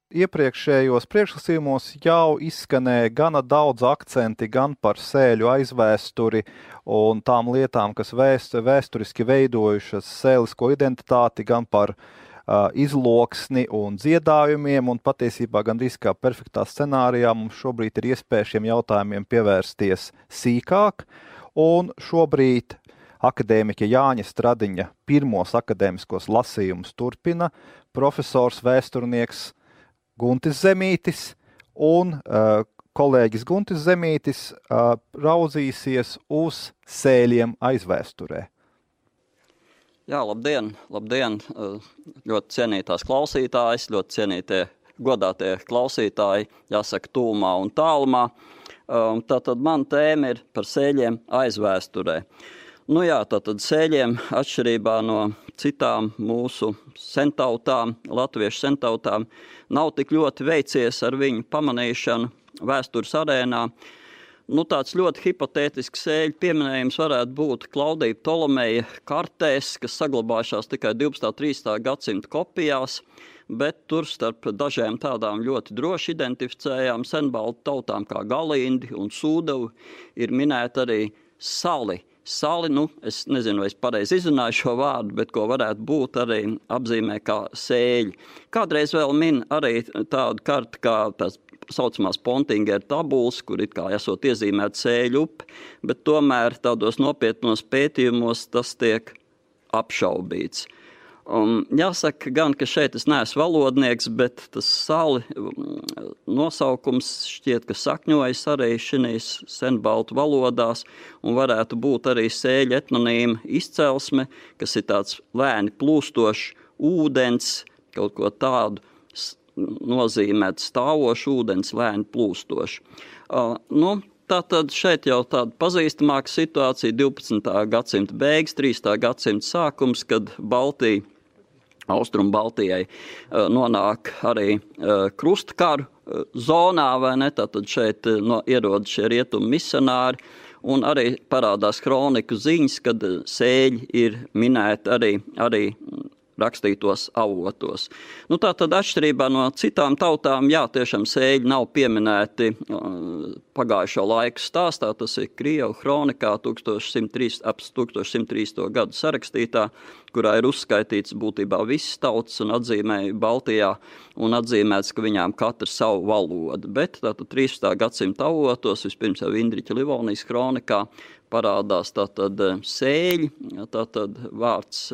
iepriekšējos priekšlasījumos jau izskanēja gana daudz akcenti gan par sēļu aizvēsturi un tām lietām, kas vēsturiski veidojušas sēlisko identitāti, gan par izloksni un dziedājumiem, un patiesībā gandrīz kā perfektā scenārijā mums šobrīd ir iespēja šiem jautājumiem pievērsties sīkāk, un šobrīd akadēmiķa Jāņa Stradiņa pirmos akadēmiskos lasījumus turpina profesors vēsturnieks Guntis Zemītis, un kolēģis Guntis Zemītis raudzīsies uz sēļiem aizvēsturē. Jā, labdien, ļoti cienītās klausītājas, ļoti cienītie godātie klausītāji, jāsaka tūmā un tālumā. Tātad man tēma ir par sēļiem aizvēsturē. Nu jā, tātad sēļiem atšķirībā no citām mūsu sentautām, latviešu sentautām, nav tik ļoti veicies ar viņu pamanīšanu vēstures arēnā. Nu, tāds ļoti hipotētisks sēļu pieminējums varētu būt Klaudija Ptolomeja kartēs, kas saglabājušās tikai 12. un 13. gadsimta kopijās, bet tur starp dažiem tādām ļoti droši identificējām senbaltu tautām kā Galindi un Sūdavi ir minēta arī sali. Sali, es nezinu, vai es pareizi izrunāju šo vārdu, bet ko varētu būt arī apzīmē kā sēļi. Kādreiz vēl min arī tādu karti kā tās saucamās Pontingera tabulas, kur it kā esot iezīmēta sēļu upe, bet tomēr tādos nopietnos pētījumos tas tiek apšaubīts. Jāsaka gan, ka šeit es neesmu valodnieks, bet tas sali nosaukums šķiet, ka sakņojas arī šinīs senbaltu valodās un varētu būt arī sēļu etnonīma izcelsme, kas ir tāds lēni plūstošs ūdens, kaut ko tādu nozīmēt stāvošu ūdens, lēni plūstošu. Tātad šeit jau tāda pazīstamāka situācija 12. gadsimta beigas, 13. gadsimta sākums, kad Austrumu Baltijai nonāk arī krustkaru zonā, vai ne? Tātad šeit ierod šie rietumu misionāri, un arī parādās kroniku ziņas, kad sēļi ir minēti arī rakstītos avotos. Tātad atšķirībā no citām tautām, jā, tiešām sēļi nav pieminēti pagājušo laiku stāstā, tas ir Krievu kronikā 1103. gadu sarakstītā, kurā ir uzskaitīts būtībā visas tautas un atzīmēja Baltijā un atzīmēts, ka viņām katra savu valodu. Bet tātad 13. gadsimta avotos, vispirms jau Indriķa Livonijas kronikā, parādās tātad sēļi, tātad vārds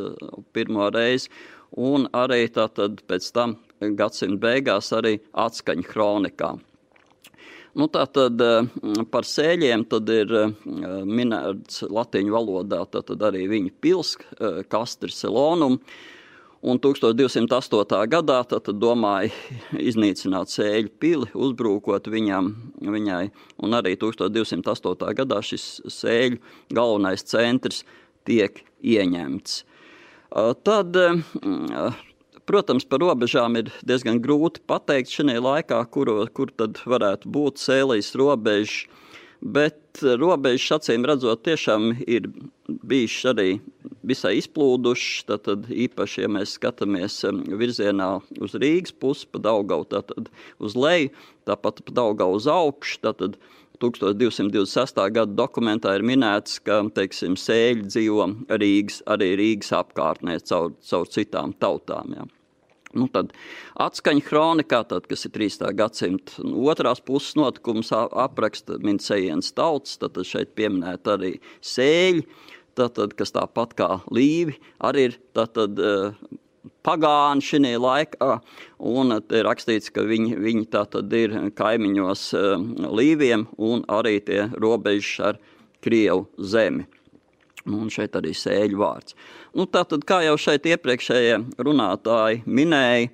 pirmo reizi, un arī tātad pēc tam gadsimta beigās arī atskaņa kronikā. Tātad par sēļiem tad ir minēts latiņu valodā, tātad arī viņa pils, Castri Selonum, un 1208. gadā tad domāja iznīcināt sēļu pili, uzbrūkot viņai, un arī 1208. gadā šis sēļu galvenais centrs tiek ieņemts. Tad, protams, par robežām ir diezgan grūti pateikt šajā laikā, kur tad varētu būt sēlijas robežas, bet robežas acīm redzot tiešām ir bijušas arī visai izplūdušas, tad īpaši, ja mēs skatāmies virzienā uz Rīgas pusi, pa Daugavu, tātad uz leju, tāpat pa Daugavu uz augšu, tātad 1226. gada dokumentā ir minēts, ka, teiksim, sēļi dzīvo arī Rīgas apkārtnē caur citām tautām, jā. Tad atskaņa kronikā, kas ir 13. gadsimta otrās puses notikums apraksta Mincejienas tautas, tad šeit pieminēt arī sēļi, kas tāpat kā līvi, arī ir pagāni šajā laikā, un te ir rakstīts, ka viņi tātad ir kaimiņos līviem un arī tie robežas ar Krievu zemi. Un šeit arī sēļu vārds. Tātad, kā jau šeit iepriekšējie runātāji minēja,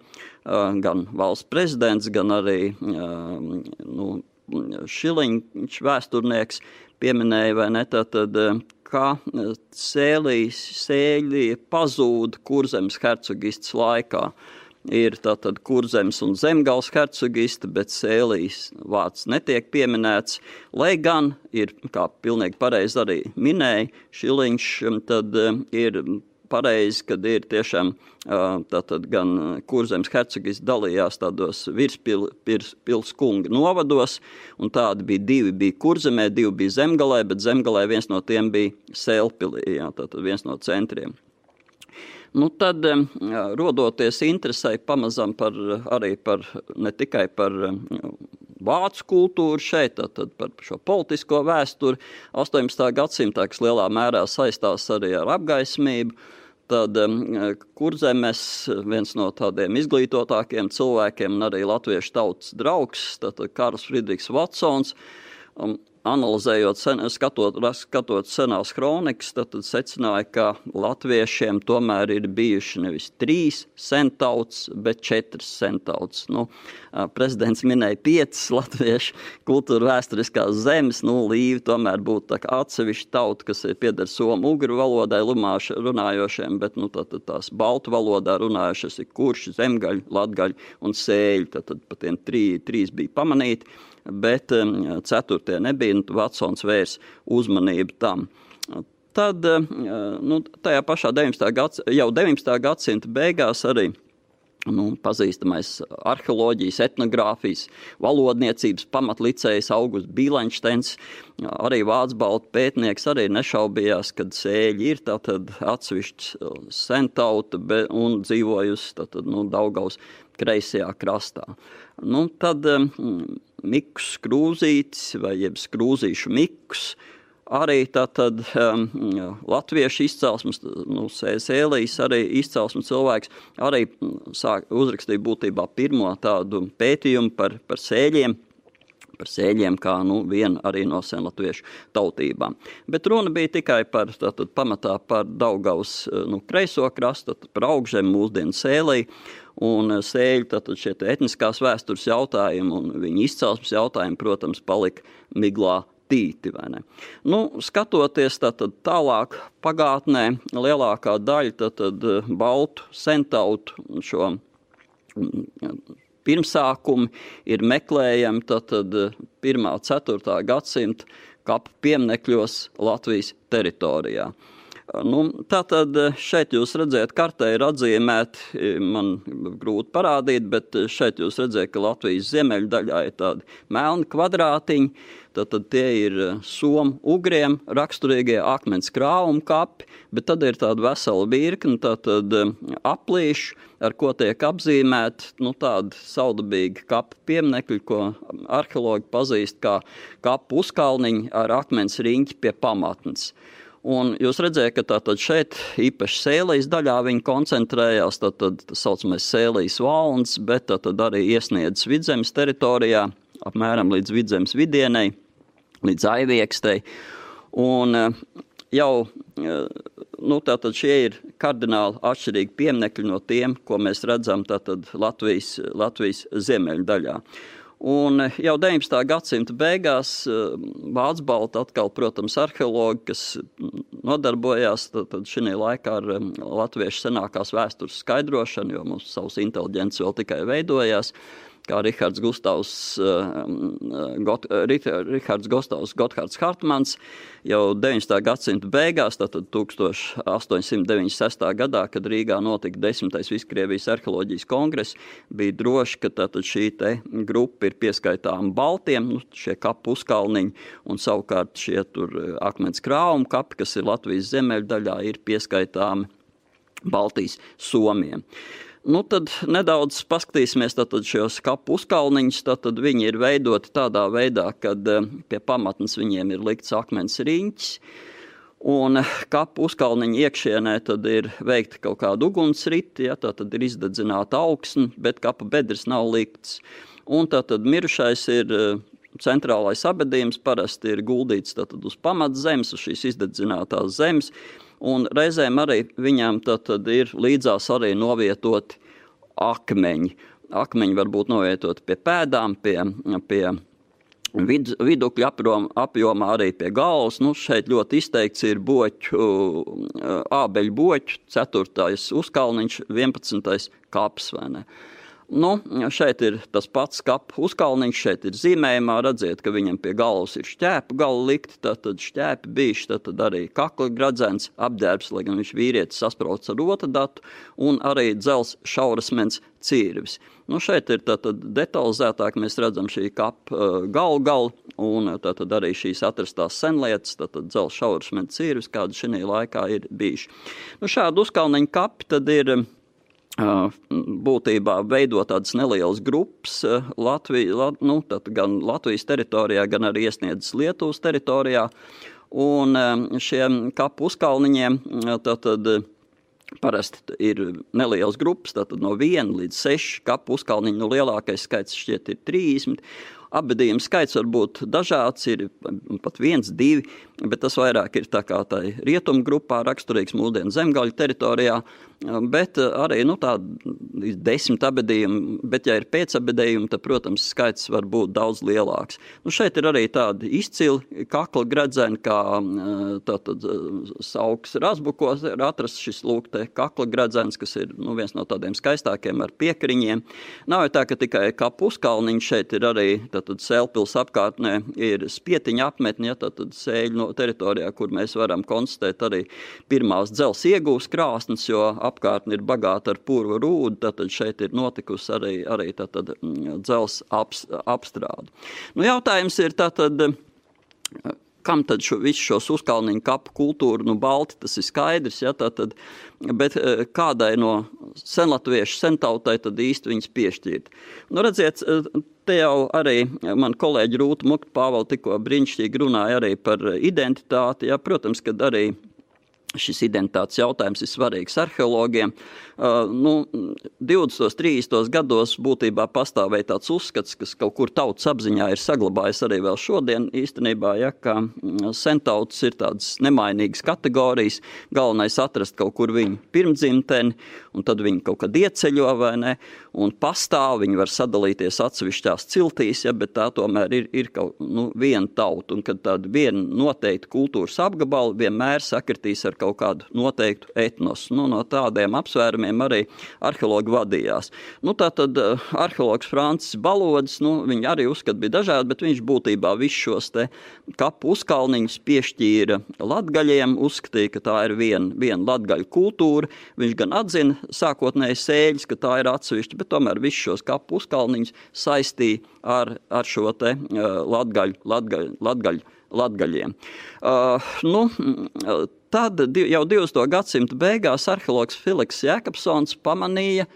gan valsts prezidents, gan arī Šiliņš vēsturnieks pieminēja, vai ne, tātad, kā sēļi pazūd Kurzemes hercogistes laikā. Ir tātad Kurzemes un Zemgales hercogiste, bet sēlijas vārds netiek pieminēts, lai gan ir, kā pilnīgi pareizi arī minēja, Šiliņš tad ir pareizi, kad ir tiešām tātad gan Kurzemes hercogis dalījās tādos virspils kunga novados, un tādi bija 2 bija Kurzemē, 2 bija Zemgalē, bet Zemgalē viens no tiem bija Sēlpilī, jā, tātad viens no centriem. Tad, rodoties interesei pamazam ne tikai par vācu kultūru šeit, tad par šo politisko vēsturi 18. gadsimtā, kas lielā mērā saistās arī ar apgaismību, tad Kurzemes viens no tādiem izglītotākiem cilvēkiem un arī latviešu tautas draugs, tad Karls Friedrichs Vatsons, analizējot, skatot senās kronikas, tad secināja, ka latviešiem tomēr ir bijuši nevis 3 sentauts, bet 4 sentauts. Prezidents minēja 5 latviešu kultūra vēsturiskās zemes, Līvi tomēr būtu tā kā atsevišķa tauta, kas pieder somu ugru valodai runājošiem, bet tās baltu valodā runājošas ir kurši, zemgaļi, latgaļi un sēļi, tad pa tiem 3 bija pamanīti. Bet 4. nebija, Vatsons vērs uzmanību tam. Tad, tajā pašā 19. gadsimta beigās arī pazīstamais arheoloģijas, etnogrāfijas, valodniecības pamatlicējs Augusts Bīlenšteins, arī vācu-baltu pētnieks, arī nešaubījās, kad sēļi ir tātad atsevišķs sentauta un dzīvojusi Daugavas kreisajā krastā. Tad Mikus Skrūzītis vai jeb Skrūzīšu Mikus, arī tātad latviešu izcelsmes, Sēlijas arī izcelsmes cilvēks, arī uzrakstīja būtībā pirmo tādu pētījumu par sēļiem kā viena arī no senlatviešu tautībām. Bet runa bija tikai pamatā par Daugavas kreiso krastu, par Augžzemi, mūsdienu Sēliju, un sēļu tātad šie etniskās vēstures jautājumi un viņa izcelsmes jautājumi, protams, palika miglā tīti, vai ne? Skatoties tātad tālāk pagātnē, lielākā daļa tātad baltu sentautu šo pirmsākumi ir meklējami tātad 1. 4. gadsimta kapu pieminekļos Latvijas teritorijā. Tātad šeit jūs redzēt, kartē ir atzīmēti, man grūti parādīt, bet šeit jūs redzēt, ka Latvijas ziemeļu daļā ir tādi melni kvadrātiņi, tātad tie ir somu ugriem raksturīgie akmens krāvuma kapi, bet tad ir tāda vesela virkne, tātad aplīšu, ar ko tiek apzīmēti, tādi saudabīgi kapu pieminekļi, ko arheologi pazīst kā kapu uzkalniņi ar akmens riņķi pie pamatnes. Un jūs redzējāt, ka tātad šeit īpaši Sēlijas daļā viņi koncentrējās, tātad tas saucamais Sēlijas valns, bet tātad arī iesniedz Vidzemes teritorijā, apmēram līdz Vidzemes vidienei, līdz Aiviekstei. Un jau, tātad šie ir kardināli atšķirīgi pieminekļi no tiem, ko mēs redzam tātad Latvijas ziemeļu daļā. Un jau 19. gadsimta beigās vācu-baltu atkal, protams, arheologi, kas nodarbojās tad šī laikā ar latviešu senākās vēstures skaidrošanu, jo mums savs inteliģents vēl tikai veidojās, kā Rihards Gustavs Gotthārds Hartmans jau 19. gadsimta beigās, tātad 1896. gadā, kad Rīgā notika 10. Viskrievijas arheoloģijas kongress, bija droši, ka tātad šī te grupa ir pieskaitām baltiem, šie kapu uzkalniņi, un savukārt šie tur akmens krāvuma kapi, kas ir Latvijas ziemeļu daļā, ir pieskaitām Baltijas somiem. Tad nedaudz paskatīsimies tātad šos kapu uzkalniņus, tātad viņi ir veidoti tādā veidā, kad pie pamatnes viņiem ir likts akmens riņķis, un kapu uzkalniņu iekšienē tad ir veikta kaut kāda ugunsriti, tātad ir izdedzināta augsne, bet kapa bedres nav likts. Un tātad mirušais ir centrālais abedījums, parasti ir guldīts tātad uz pamatzemes, uz šīs izdedzinātās zemes, un reizēm arī viņām tad ir līdzās arī novietoti akmeņi. Akmeņi var būt novietoti pie pēdām, pie vidukļa apjomā, arī pie galvas. Šeit ļoti izteikts ir ābeļu boķu, 4. uzkalniņš, 11. kaps, vai ne? Nu, šeit ir tas pats kapu uzkalniņš, šeit ir zīmējumā, redziet, ka viņam pie galvas ir šķēpu gali likti, tad šķēpi bijuši, tad arī kakla gradzens, apģērbs, lai gan viņš vīrietis sasprauc ar rotadatu, un arī dzels šaurasmens cirvis. Nu, šeit ir tātad detalizētāk, mēs redzam šī kapa galu, un tātad arī šīs atrastās senlietas, tātad dzels šaurasmens cirvis, kāda šī laikā ir bijuši. Nu, šādu uzkalniņu kapi tad ir būtībā veido tādas nelielas grupas gan Latvijas teritorijā, gan arī iesniedzas Lietuvas teritorijā. Un šiem kapu uzkalniņiem tātad parasti ir nelielas grupas, tātad no 1 līdz 6 kapu uzkalniņi, nu lielākais skaits šķiet ir 30. Apbedījuma skaits var būt dažāds, ir pat 1, 2, bet tas vairāk ir tā kā tai rietumu grupā raksturīgs mūsdienu zemgaļu teritorijā, bet arī tā 10 abedījumi, bet ja ir pēcabedījumi, tad, protams, skaits var būt daudz lielāks. Nu, šeit ir arī tādi izcili kakla gredzeni, kā tātad Saukas Razbukos ir atrasts šis te kakla gredzens, kas ir viens no tādiem skaistākiem ar piekriņiem. Nav jau tā, ka tikai kapu uzkalniņš, šeit ir arī tātad Sēlpils apkārtnē ir spietiņa apmetni, tātad Sēļu teritorijā, kur mēs varam konstatēt arī pirmās dzels iegūs krāsnes, jo apkārtni ir bagāta ar purva rūdu, tātad šeit ir notikusi arī tātad dzels apstrāde. Nu, jautājums ir tātad, kam tad visu šos uzkalniņu kapu kultūru, balti, tas ir skaidrs, tātad, bet kādai no senlatviešu sentautai tad īsti viņas piešķirt. Nu, redziet, te jau arī man kolēģi Rūta Mukt-Pāvela tikko brīnišķīgi runāja arī par identitāti, protams, kad arī šis identitātes jautājums ir svarīgs arheologiem. 20. 30. gados būtībā pastāvēja tāds uzskats, kas kaut kur tautas apziņā ir saglabājis arī vēl šodien īstenībā, ka sentautas ir tādas nemainīgas kategorijas, galvenais atrast kaut kur viņu pirmdzimteni, un tad viņi kaut kad ieceļo, vai ne, un pastāv, viņi var sadalīties atsevišķās ciltīs, bet tā tomēr ir kaut viena tauta, un kad tāda viena noteikta kultūras apgabala vienmēr sakritīs ar kaut kādu noteiktu etnosu. No tādiem apsvērumiem arī arheologi vadījās. Tātad arheologs Francis Balodis, viņi arī uzskat bija dažādi, bet viņš būtībā visus šos te kapu uzkalniņus piešķīra latgaļiem, uzskatīja, ka tā ir viena latgaļu kultūra. Viņš gan atzina sākotnēji Sēļas, ka tā ir atsevišķa, bet tomēr visus šos kapu uzkalniņus saistīja ar šo te latgaļiem. Tad jau 20. gadsimta beigās arheologs Filiks Jēkabsons pamanīja,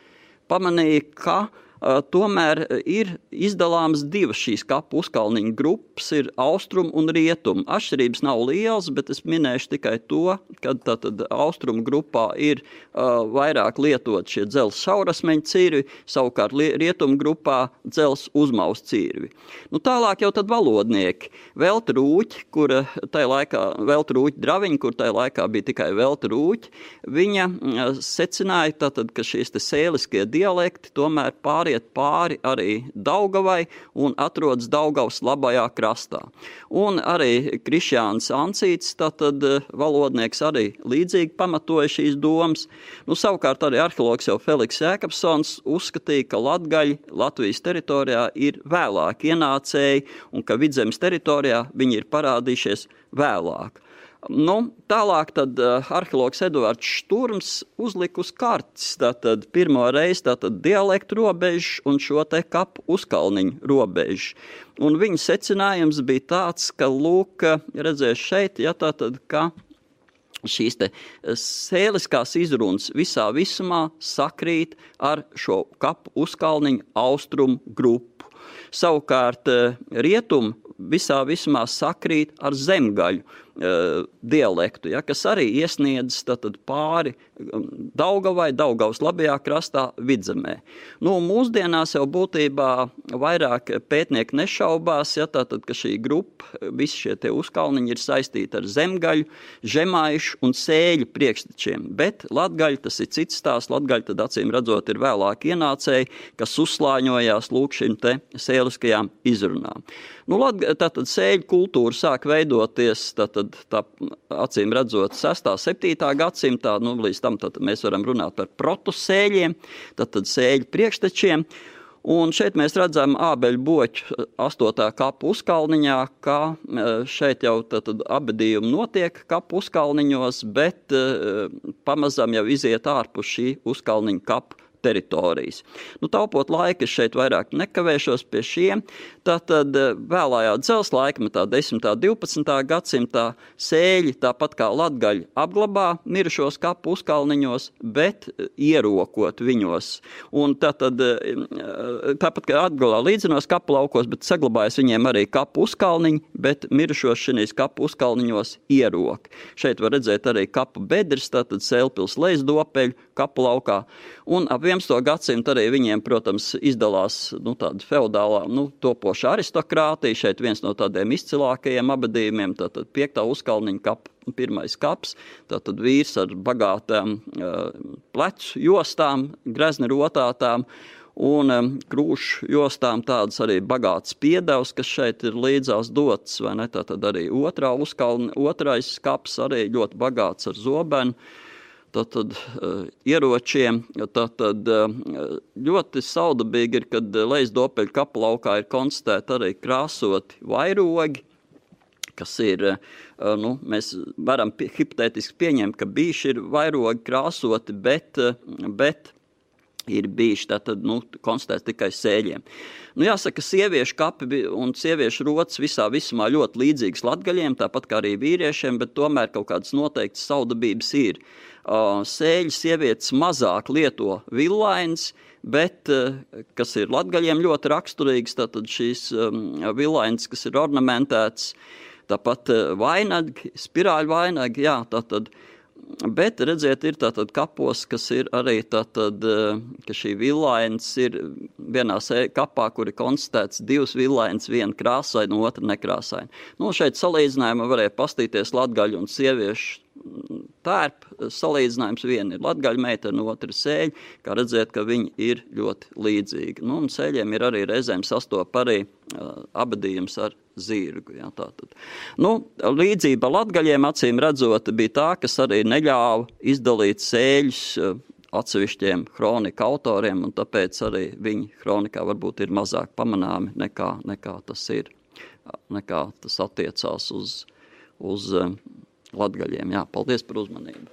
ka tomēr ir izdalāmas divas šīs kapu uzkalniņu grupas, ir austrum un rietum. Atšķirības nav lielas, bet es minēšu tikai to, ka tātad austrumu grupā ir vairāk lietot šie dzels šaurasmeņu cirvi, savukārt rietumu grupā dzels uzmaus cirvi. Tālāk jau tad valodnieki. Velta Rūķi, Velta Rūķi Draviņa, kur tajā laikā bija tikai Velta Rūķi, viņa secināja tātad, ka šīs te sēliskie dialekti tomēr pāri arī Daugavai un atrodas Daugavas labajā krastā. Un arī Krišjāns Ancīts, tātad valodnieks, arī līdzīgi pamatoja šīs domas. Savukārt arī arheologs jau Feliks Jēkabsons uzskatīja, ka latgaļi Latvijas teritorijā ir vēlāk ienācēji un ka Vidzemes teritorijā viņi ir parādījušies vēlāk. Tālāk tad arheologs Eduards Šturms uzlika uz kartes pirmo reizi dialektu robežu un šo te kapu uzkalniņu robežu. Un viņa secinājums bija tāds, ka, redzēs šeit, ka šīs te sēliskās izrunas visā visumā sakrīt ar šo kapu uzkalniņu austrumu grupu. Savukārt rietumu visā visumā sakrīt ar zemgaļu dialektu, kas arī iesniedz pāri Daugavai, Daugavas labajā krastā, Vidzemē. Mūsdienās jau būtībā vairāk pētnieki nešaubās, ka šī grupa, visi šie te uzkalniņi ir saistīti ar zemgaļu, žemaišu un sēļu priekštečiem, bet latgaļi tas ir cits stāsts, latgaļi tad acīm redzot ir vēlāk ienācēji, kas uzslāņojās šim te sēliskajām izrunām. Tātad sēļu kultūra sāk veidoties tātad tā acīm redzot 6. 7. gadsimtā, līdz tam tātad mēs varam runāt par protusēļiem, tātad sēļu priekštečiem. Un šeit mēs redzam ābeļu boķu 8. kapu uzkalniņā, ka šeit jau tātad abedījumi notiek kapu uzkalniņos, bet pamazām jau iziet ārpus šī uzkalniņa kapu teritorijas. Taupot laiku, es šeit vairāk nekavēšos pie šiem. Tātad vēlājā dzelzs laikmetā, 10. 12. gadsimtā sēļi, tāpat kā latgaļi, apglabā mirušos kapu uzkalniņos, bet ierokot viņos. Un tātad, tāpat kā atgalā līdzinos kapu laukos, bet saglabājas viņiem arī kapu uzkalniņi, bet mirušos šinīs kapu uzkalniņos ierok. Šeit var redzēt arī kapu bedres, tātad Sēlpils Leisdopeļu kapu laukā. Un ap 11. gadsimtu arī viņiem, protams, izdalās tāda feodālā, topoša aristokrātija. Šeit viens no tādiem izcilākajiem abadījumiem, tātad 5. uzkalniņa kapu, 1. kaps, tātad vīrs ar bagātām plecu jostām, grezni rotātām, un krūšu jostām tādas arī bagātas piedevs, kas šeit ir līdzās dots, vai ne? Tātad arī 2. kaps arī ļoti bagāts ar zobenu. Tātad ieročiem, tātad ļoti saudabīgi ir, kad Leisdopeļu kapu laukā ir konstatēti arī krāsoti vairogi, kas ir, mēs varam hipotētiski pieņemt, ka bijuši ir vairogi krāsoti, bet ir bijuši tātad, konstatēts tikai sēļiem. Jāsaka, sieviešu kapi un sieviešu rotas visā visumā ļoti līdzīgas latgaļiem, tāpat kā arī vīriešiem, bet tomēr kaut kādas noteiktas saudabības ir. Sēļu sievietes mazāk lieto villainas, bet, kas ir latgaļiem ļoti raksturīgas, tātad šīs villainas, kas ir ornamentētas, tāpat vainagi, spirāļu vainagi, tātad. Bet, redziet, ir tātad kapos, kas ir arī tātad, ka šī villainas ir vienā kapā, kur ir konstatēts 2 villainas, viena krāsaina, otra nekrāsaina. Šeit salīdzinājumā varēja pastīties latgaļu un sieviešu tērpu salīdzinājums. Viena ir latgaļu meitene, otra sēļi, kā redzēt, ka viņi ir ļoti līdzīgi. Un sēļiem ir arī reizēm sastop arī abadījums ar zirgu. Tātad. Līdzība latgaļiem acīm redzot bija tā, kas arī neļāva izdalīt sēļus atsevišķiem kronika autoriem, un tāpēc arī viņi kronikā varbūt ir mazāk pamanāmi nekā tas ir, nekā tas attiecās uz latgaļiem. Paldies par uzmanību.